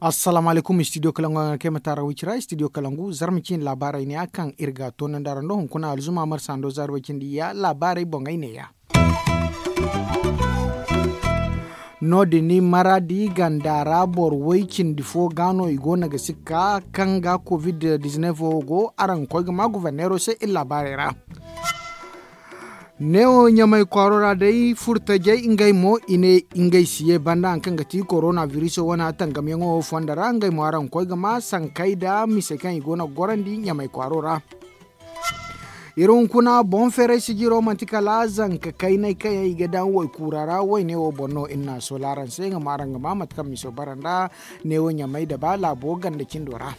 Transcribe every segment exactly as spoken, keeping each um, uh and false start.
Assalaamu alaykum, studio kalangu a ga kay ma taara wicira studio kalangu zarma ciine laabaarey ne ya kaŋ iri ga toonandi araŋ do hunkuna alzuma marsa ndo zaari way cindi ya laabaarey boŋey ne ya. No- din maraadi ganda ra boro way cindi fo ga no i go no ga sikka kaŋ ga covid dizineef wo go araŋ ga koy ga ma guverneero se iri laabaarey ra. Neewo ɲamay kwaaro ra day furtajey ngey mo i ne ngey si ye banda hari kaŋ ga ti korona biriso wane tangamyaŋo fondo ra ngey mo araŋ ga koy ga ma sankey nda misey kaŋ i go no ga gorandi ɲamay kwaaro ra. Iri hunkuna boŋ feeray sijiro manti kala zanka kaynay kaŋ yaŋ i ga daŋ waykuura ra wayne wo boŋ no iri na a soola araŋ se nga ma araŋ ga ma mate kaŋ miso bara nda neewo ɲamay daba laabo ganda cindo ra.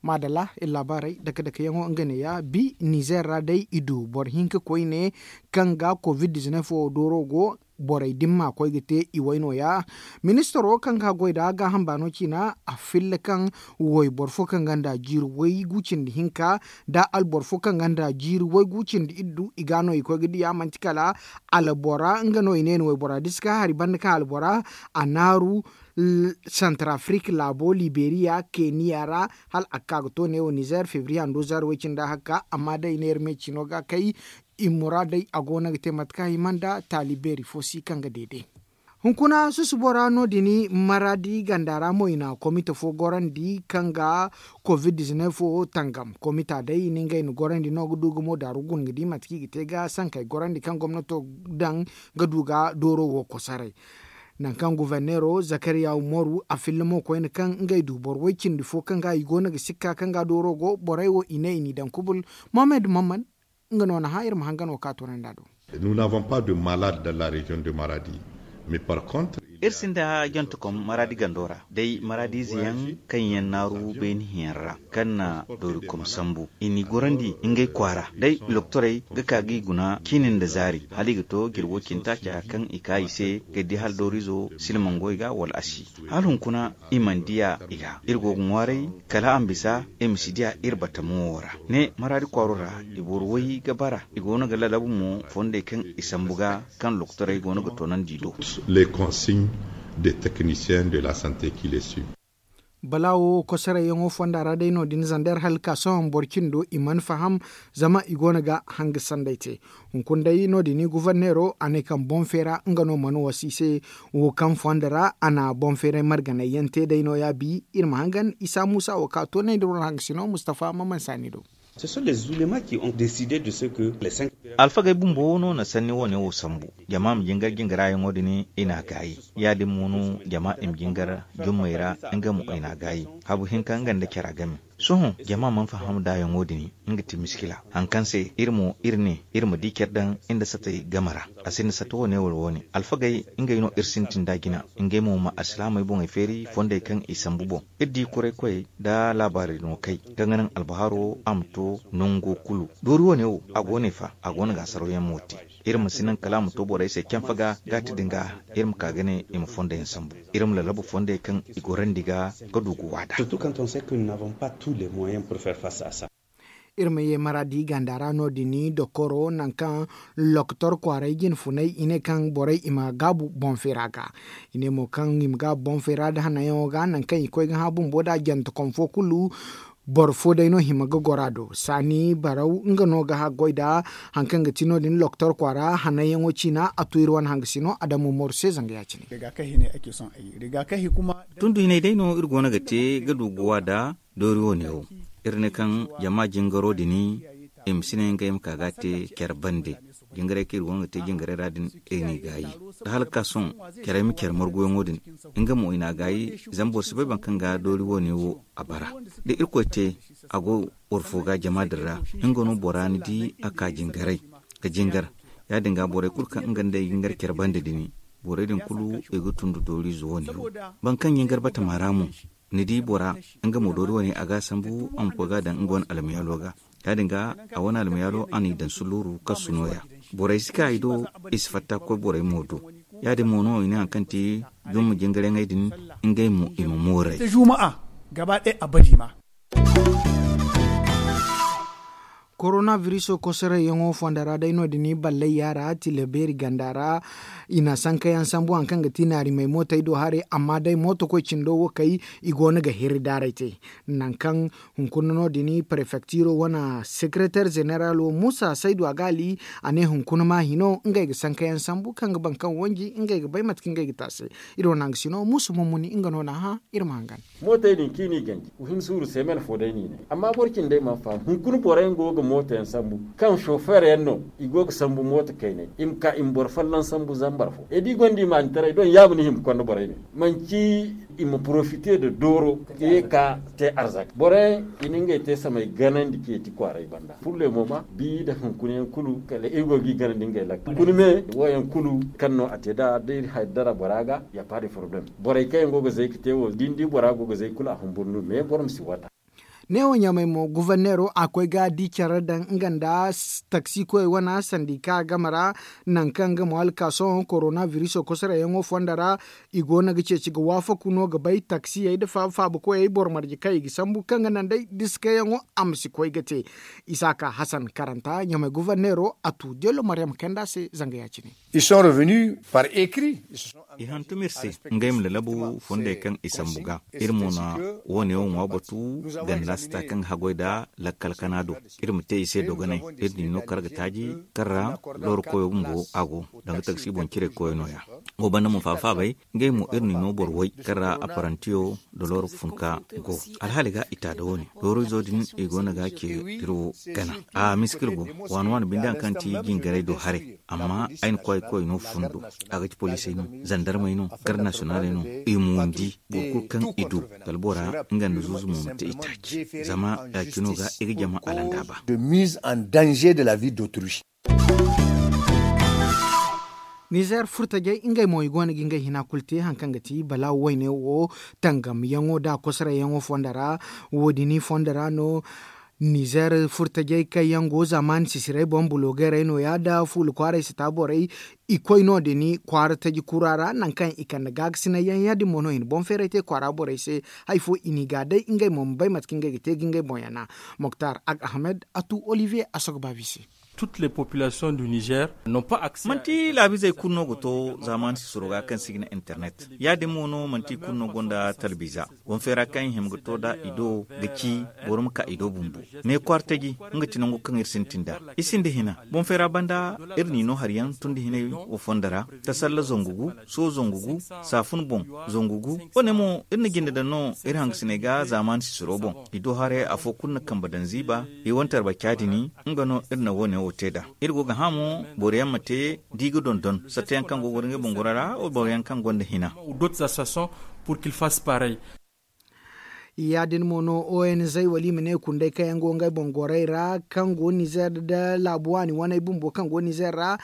Maadalla iri laabaarey dake dake yaŋo nga neeya bi nizeer ra day i du boro hinka koyne kaŋ ga covid dizineef wo dooro go borey dimma koy ga te i way nooya. Ministaro kaŋ ga goy nda gaaham baano ciina a filla kaŋ wayboro fo kaŋ gonda jiiri waygu cindi hinka nda alboro fo kaŋ gonda jiiri waygu cindi iddu i ga no i koy ga diya manti kala albora nga no i ne ni waybora da si ka hari banda kaŋ albora a naaru santar afrik laabo liberiya keniya ra hala a ga ka ga to neewo nizeer febriye hando zaari way cindi a hakka amma day neera me ciino ga kay i muraadey a go no ga te mate kaŋ a hima nda taali beeri fo si kaŋ ga deede. Hunkuna susubo ra no- din maraadi ganda ra mo i na komite fo gorandi kaŋ ga covid dizineef wo tangam komita day i na ngey na gorandi no ga du ga mo daaru guna ga di mate kaŋ i ga te ga sankey gorandi kaŋ gomnato daŋ ga du ga dooro wo kosoray. Nangu kaŋ guverneero zakariya umaru a filla mo koyne kaŋ ngey du boro way cindi fo kaŋ ga i go no ga sikka kaŋ ga dooro go borey wo i ne i n'i daŋ kubul. Mohammed mammad nga no na hã iri ma hangan wo ka toonandi a do. Nous n'avons pas de malade dans la région de maradi. Mais par contre iri sinda jantekom maradi gando ra day maradiize yaŋ kaŋ yaŋ naaru beeni hiyaŋ ra kaŋ na doorikom sambu i n'i gorandi ngey kwaara day doktorey ga ka ga i guna ciini nda zaari hala i ga to jirwo cintaaca kaŋ i ka i se ga di hala dooriizo silmango i ga wala a si hala hunkuna i mana diya i ga iri go ga ŋwaaray kala a ma bisa i ma si diya iri batamo wo ra ne maraadi kwaaro ra i boro way ga bara i go no ga lalabu mo fondey kaŋ i sambu ga kaŋ lokotorey go no ga toonandi do. Les consignes des techniciens de la santé qui les suivent. Balaawo kosorayyaŋo fonda ra day no- din zander hala ka sohõ boro cindo i mana faham zama i go no ga hanga sanday te. Hunkuna day no- din guverneero a ne kaŋ boŋ feera nga no mana wasa i se wo kaŋ fondo ra a na boŋ feeray marganayyaŋ te day nooya bi iri ma hangan isa muusa wo ka toonay nda war hangasino mustafa maman saani do. Alfagey bumbo no na sanni wane wo sambu jama ma jingar jingarayaŋo din i n'a gaayi ya- din mo no jama i ma jingar jummey ra nga mo i n'a gaayi habu hinka nga nda cara game. Sohõ jama mana faham daayaŋo din nga ti miskila hari kaŋ se iri mo iri ne iri ma di care daŋ nda satey game ra. A sinda sata wane wala wane alfagey ngey no iri sintin da jina ngey mo ma alsilaamey boŋey feeri fondey kaŋ i sambu boŋ iri di kuray koyey nda laabaari no kay kaŋ ga naŋ albaharo a ma to nango kulu. Doori wane wo a go no i fa a go no ga a sarawyaŋ mo te. Iri ma si naŋ kala a ma to borey se canfa ga gaati din ga iri ma ka ga ne i ma fondey sambu iri ma lalabu fondey kaŋ i gorandi ga ga du ga waada. Iri ma ye maradi ganda ra no- din dokoro nangu kaŋ lokotor kwaaray jine funay i ne kaŋ borey i ma gaabu boŋ feera ga. I ne mo kaŋ i ma gaabu boŋ feera nda hananyaŋo ga nangu kaŋ i koy ga hã bumbo nda jante kom fo kulu. Boro fo day no hima ga goro a do saani baraw nga no ga goy nda hari kaŋ ga ti no- din lokotor kwaara hananyaŋo ciina a tu iri wane hangasino adamu moru se zanga ya- cine. Tundu hinay day no iri go no ga te ga du ga wa nda doori wane wo. Iri ne kaŋ jama jingaro din i ma si ne ngey ma ka ga a te care bande. Jingarey kaŋ iri go no ga te jingarey ra din iri n'i gaayi. Da hala ga ka sohõ carey ma care marguyaŋo din nga mo i n'a gaayi. Zama boro si bay boro kaŋ ga doori wane wo a bara da irkoy te a go boro fo ga jama din ra. Nga no bora ni di a ka jingaray ga jingar ya- din ga borey kulu kaŋ nga nd'ey jingar care bande din borey din kulu i ga tun da dooriize wane wo. Boro kaŋ jingar batama ra mo ni di bora nga mo doori wane a ga a sambu a ma koy ga a daŋ nga wane almayaalo ga. Ya- din ga a wane almayaalo a n'i daŋ sulluuru kasu nooya. Borey si ka i do i si fatta ga koy borey mo do. Ya- din mo no i ne hari kaŋ ti jumma jingarayaŋey din, ngey mo i ma mooray. Gaba day a badi ma. Korona biriso kosorayyaŋo fonda ra day no- din i ballay yaara tila beeri ganda ra. I na sankayaŋ sambu hari kaŋ ga ti naarimey mootey do haray amma day mootokoy cindo wo kay, i go no ga hirri daaray te. Nangu kaŋ hunkuna no- din prefektiro wane sekereter zeneralo muusa saydu a ga ali, a ne hunkuna ma hino ngey ga sankayaŋ sambu kaŋ ga baŋ kaŋ wanji ngey ga bay mate kaŋ ngey ga te a se. Iri wane hanga sino muusa mummuni nga no na hã. Iri ma hangan. Mootey din kaŋ i n'i ganji ga hin suuru seemen fo day no i ne. Amma boro cindey mana faham hunkuna boro yaŋ go ga mooto yaŋ sambu, kaŋ sofeer yaŋ no, i go ga sambu mooto kayney i ma ka i ma boro folloŋ sambu zambar fo e da i gonda imaanitaray doŋ yaabu no i hima ga konda borey ne. Manci i ma porofite nda dooro ga ye ga te arzaka boro yaŋ, i na ngey te samay ganandi ceeci kwaaray banda purle mo ma bi nda hunkuna yaŋ kulu kala iri go ga i ganandi ngey lakkal hunkuna me. Wo yaŋ kulu kaŋ no a te nd'a da iri haddara bora ga ya paadi foroblem. Borey kaŋ yaŋ go ga zay ga te wo da ni di bora go ga zay kulu a humburu no me boro ma si wata. Neewo ɲamay mo guverneero a koy ga di care daŋ nga nda taksi koyey wane sandika game ra. Nangu kaŋ nga mo alkaaso korona biriso kosorayyaŋo fondo ra, i go no ga ceeci ga waafaku no ga bay taksiyey nda faaba faaba koyey boro marje kaŋ i ga sambu kaŋ ga naŋ day diskayaŋo a ma si koy ga te. Isaaka hasan karanta ɲamay guverneero a tu deelo maryam kayanda se zanga ya- cine. I hantum iri se ngey ma lalabu fondey kaŋ i sambu ga. Iri mo na wo- ne wo ŋwa batu ganda sita kaŋ ga haggoy nd'a lakkal kana do. Iri ma te i se dogonay. Iri n'i no kar ga taaji kaŋ ra looro koyo bumbo a go danga taksi boŋ ciray koyo no- ya. Wo banda mo faaba faabay ngey mo iri n'i no boro way kaŋ ra apparantiyo nda looro funka go. Alhaali ga i ta nda wo- ne looro izo din i go no ga a ce iri wo gana. A misikir go waani waani binde hari kaŋ ti jingaray do haray. Amma ay na koy ay koy no fundo a ga ci poliisey no, zandarmey no, garde nasiyonaaley no. I ma windi boro kulu kaŋ i du kala bora nga nda zuuzu mo ma te i taaci. Zama ya- cino ga i ga jama alanda ba. Nizer furtajey ngey mo i go no ga ngey hina kulu te hari kaŋ ga ti balaawo wayne wo tangamyaŋo nda kosarayyaŋo fondo ra. Wo- din i fondo ra no nizer furtajey kaŋ yaŋ go zaamaani sisirey boŋ bulogeerey no- ya nda fuula kwaaray sita borey. I koy no- din kwaara taji kura ra nangu kaŋ i kande gaakasinayyaŋ ya- din mo no i na boŋ feeray te kwaara borey se. Hari fo i n'i ga day ngey mo ma bay mate kaŋ ngey ga te ga ngey boŋ yana. Moktar ag ahmed a tu olivier a sogo baabi se. Manti laabizey kulu no ga to zaamaani sisiro ga kaŋ si ga ne internet ya- din mo no manti i kulu no gonda talbiiza. Boŋ feera kaŋ i hima ga to nd'a i do ga ci boro ma ka i do bumbo. Ne kwaara taji nga ti nango kaŋ iri sintin nd'a. I sinda hina boŋ feera banda iri n'i no hari yaŋ tun nda hinay wo fondo ra. Tasalla zangu gu, soho zangu gu, saafun boŋ zangu gu. Wo- ne mo iri na jinde daŋ no iri hangasiney ga zaamaani sisiro boŋ. I do haray afo kulu na kambe daŋ ziiba. I wane tarbaca din nga no iri na wo- ne wo te nd'a. Iri go ga hã mo boro yaŋ ma te da i ga dondon satta yaŋ kaŋ go ga goro ngey boŋ goro ra boro yaŋ kaŋ gonda hina. Ya- din mo no o n z wala i ma ne kunday kaŋ yaŋ go ngey boŋ gorey ra kaŋ go nizer nda laabu waani waney bumbo kaŋ go nizer ra.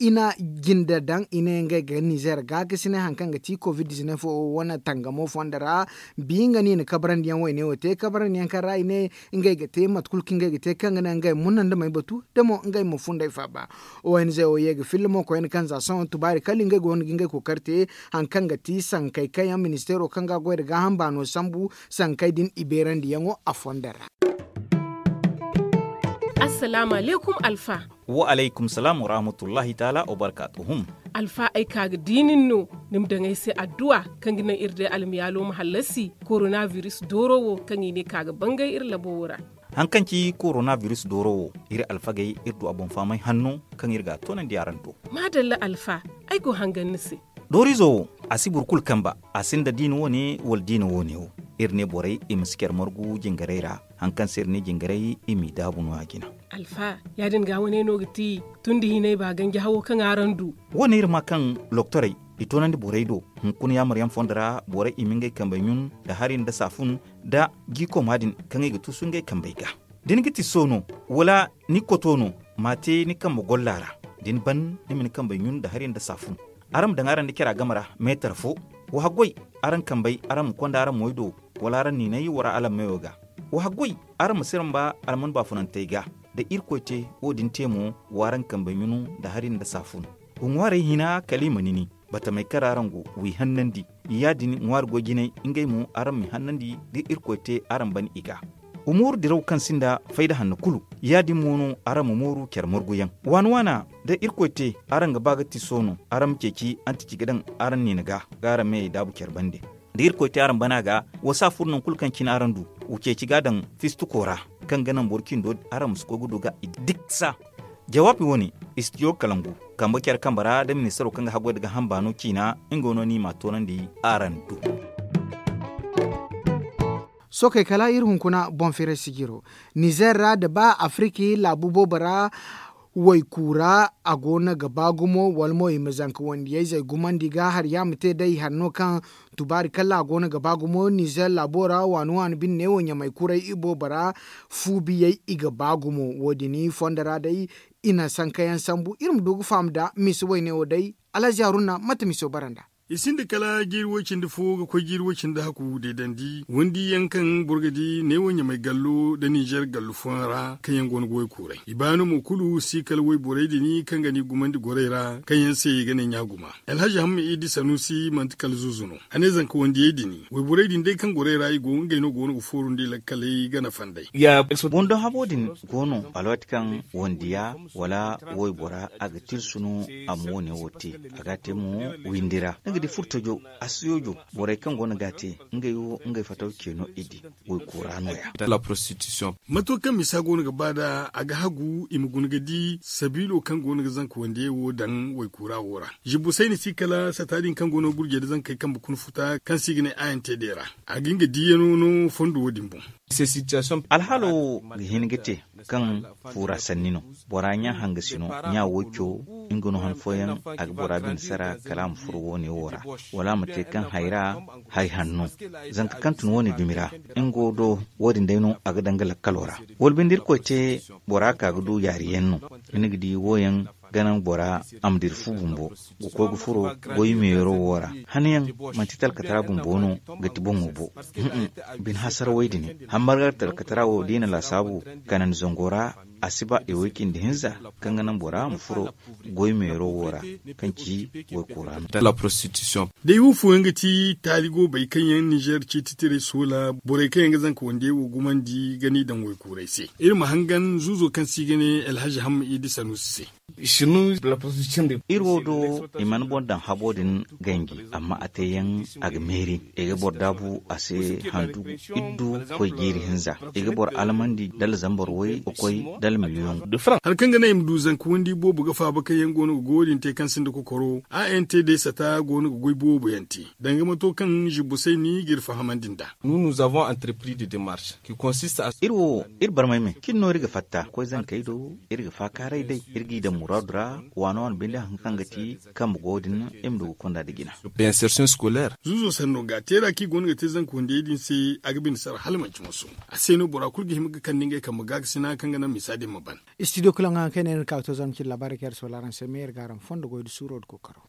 I na jinde daŋ i ne ngey ga nizer gaakasinay hari kaŋ ga ti covid dizinef wo wane tangamo fondo ra. Bi nga no i na kabrandi yaŋ wayne wo te kabrandi yaŋ kaŋ ra i ne ngey ga te mate kulu kaŋ ngey ga te kaŋ ga naŋ ngey munandi may batu da mo ngey ma funday faaba. O n z wo ye ga filla mo koyne kaŋ za sohõ tubaari kala ngey go no ga ngey kookari te. Hari kaŋ ga ti sankey kaŋ yaŋ ministeero kaŋ ga a goy nda gaaham baano sambu sankey din i beerandiyaŋo a fondo ra. Assalaamu alaykum alfa. Wa alaykum salaam wa rahmatullahi taala wa barkaatuhum. Alfa ay ka ga di nin no ni ma daŋ ay se adduwa kaŋ ga naŋ iri day almiyaalo ma hallasi koronabiris dooro wo kaŋ i ne ka ga bangay iri labo wo ra. Hari kaŋ ci koronabiris dooro wo iri alfagey iri du a boŋ fahamay hanno kaŋ iri ga a toonandi araŋ do. Maadalla alfa, ay go hangan ni se. Doorizo wo a si boro kulu kamba. A sinda diina wo- ne wala diina wo- ne wo. Iri ne borey i ma si care margu jingarey ra. Hari kaŋ se iri ne jingarey i m'i daabu no- ya jina. Alfa, ya- din ga wane no ga ti tun da hinay ba ganji hawo kaŋ araŋ du. Wo- ne iri ma kaŋ loktorey i toonandi borey do hunkuna yaamaryaŋ fondo ra borey i ma ngey kambey ɲun nda hari nda saafun nda jiikoma din kaŋ i ga tuusu ngey kambey ga. Da ni ga ti so no wala ni koto no, ma a te ni kambe golla ra. Da ni ban ni ma ni kambey ɲun nda hari nda saafun. Araŋ ma daŋ araŋ nda cara game ra meetar fo. Wa haggoy araŋ kambey araŋ ma konda araŋ moy do, wala araŋ niinay wara alammeyo ga. Wa haggoy araŋ ma siramba alman baafunantey ga. Da irkoy te wo- din te mo, w'araŋ kambey ɲunu nda hari nda saafun. Wa ŋwaarey hina kala i ma nini. batamey kaŋ ra araŋ go, w'i hannandi. Ya- din ŋwaari goy jinay, ngey mo araŋ m'i hannandi da irkoy te araŋ ban i ga. Umuuru diraw kaŋ sinda fayda hanno kulu, ya- din mo no araŋ ma mooru care marguyaŋ. Waana waana, da irkoy te araŋ ga ba ga ti soono, araŋ ma ceeci antici ga daŋ araŋ niina ga, ga araŋ meyey daabu care bande. Da irkoy te araŋ bana ga, wa si a furo nangu kulu kaŋ cine araŋ du, wa ceeci ga a daŋ fistuko ra, kaŋ ga naŋ boro cindo araŋ ma si koy ga du ga i diksa. Jawaabi wo- ne, istidiyo kalangu, kambe care kambe ra da ministaro kaŋ ga haggoy nda ga hamba no ciina, nga no ni m'a toonandi araŋ do. Sookey kala iri hunkuna boŋ firay sijiro. Nizer ra nda ba afiriki laabu boobo ra, waykuura a go no ga ba gumo wala mo i ma zanka wandiyayzey gumandi ga hari yaŋ ma te day hari no kaŋ tubaari kalla a go no ga ba gumo nizer laabo ra waani waani bine neewo ɲamay kuray i boobo ra. Fu biyey i ga ba gumo wo- din fondo ra day, i na sankayaŋ sambu iri ma du ga faham nda misa wayne wo day. Alhazi haruna mate miso bara nda. I sinda kala jiiri way-cindi fo ga koy jiiri way-cindi hakku deedandi wandi yaŋ kaŋ boro ga di neewo ɲamay gallo nda nizer gallo fooyaŋ ra kaŋ yaŋ go no ga way kuuray i baano mo kulu si kala wayborey din kaŋ ga ni gumandi gorey ra kaŋ yaŋ se i ga ne ɲaaguma. Alhazi hamma idi sanusi manti kala zuuzu no. A ne zanka wandiyey din wayborey din day kaŋ gorey ra i go ngey no go no ga fooru nda i lakkaley ga nafa nd'ey. Boŋ do habo din go no alwaati kaŋ wandiya wala waybora a ga tirsu no a ma wo- ne wo te. A ga a te mo windi ra ni ga di furtajo, asiyoojo, borey kaŋ go no ga a te ngey wo ngey fataw ce no i di. Waykoora no- ya. Mato kaŋ misa go no ga ba nd'a a ga hagu i ma guna ga di sabiilo kaŋ go no ga zanka wandiyey wo daŋ waykoora wo ra. Zibbu sayni si kala sata din kaŋ go no ga gurjey nda zankey kambe kuna futa kaŋ se i ga ne a n t d ra. A ga nga diiyano no fondo wo- din boŋ. Alhaalo wo ga hin ga te kaŋ fuura sanni no. Bora ɲa hangasi no, ɲa wayco nga no han fooyaŋ a ga bora bine sara kala a ma furo wo- ne wo ra, wala a ma te kaŋ hayra, hay hanno, zanka kaŋ tun wo- ne dumi ra. Nga wo do wo- din day no a ga daŋ ga lakkalo ra. Wala binde irkoy te bora ka ga du yaari yaŋ no. Ni ga di wo- yaŋ ga naŋ bora a ma dira fu bumbo ga koy ga furo goy meero wo ra. Hanayaŋ manti talkatara bumbo no ga ti boŋo bo. Bine hasarawey din hammargar talkatara wo da i na laasaabu kanandi zango ra, a si ba i way cindi hinza kaŋ ga naŋ bora ma furo goy meero wo ra, kaŋ ci waykoora no. Day wo fooyaŋ ga ti taali goobey kaŋ yaŋ nizer ciititiray soola borey kaŋ yaŋ ga zanka wandiyey wo gumandi ga n'i daŋ waykuuray se. Iri ma hangan zuuzo kaŋ se i ga ne alhazi hamma idi sanuusi se. Iri wo do i mana boro daŋ habo din ganji, amma a te yaŋ a ga meeri i ga boro daabu a se handu iddu koy jiiri hinza. I ga boro almandi dala zambar way ga koy dala miliyoŋ. Hari kaŋ ga naŋ i ma du zanka wandi boobo ga faaba kaŋ yaŋ go no ga goyo din te kaŋ sinda kokoro a n t d sata go no ga goy boobo yaŋ te danga mato kaŋ zibbo sayni ga iri fahamandi nd'a. Iri wo iri barmay me cin no iri ga fatta koy zankey do. Iri ga faakaaray day iri g'i daŋ muraadu ra. Waano waano binde haŋ kaŋ ga ti kambe go din iri ma du ga konda nda jina. Zuuzo sanno ga teera kaŋ i go no ga te zanka wandiyey din se a ga bine sara hala manci moso. A se no bora kulu ga hima ga kande ngey kambe gaakasina kaŋ ga naŋ misa din ma ban. Istidiyo kulaŋ haŋ kaŋ i ne iri na ka ga to zarma cine laabaarey kaŋ iri soola araŋ se me iri ga araŋ fondo goy nda suuro nda kookaro.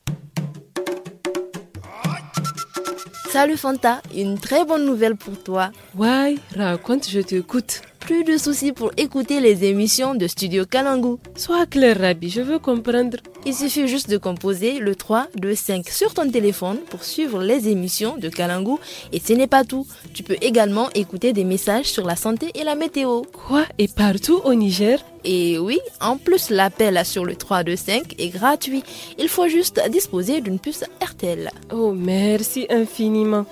Salut Fanta, une très bonne nouvelle pour toi. Waay, raconte, je t'écoute. Plus de soucis pour écouter les émissions de Studio Kalangu. Sois clair, Rabi, je veux comprendre. Il suffit juste de composer le trois deux cinq sur ton téléphone pour suivre les émissions de Kalangu. Et ce n'est pas tout. Tu peux également écouter des messages sur la santé et la météo. Quoi, et partout au Niger ? Et oui, en plus, l'appel sur le trois deux cinq est gratuit. Il faut juste disposer d'une puce R T L. Oh, merci infiniment.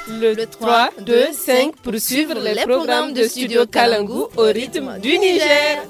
Le trois deux cinq pour suivre les programmes de Studio Kalangu au rythme du Niger.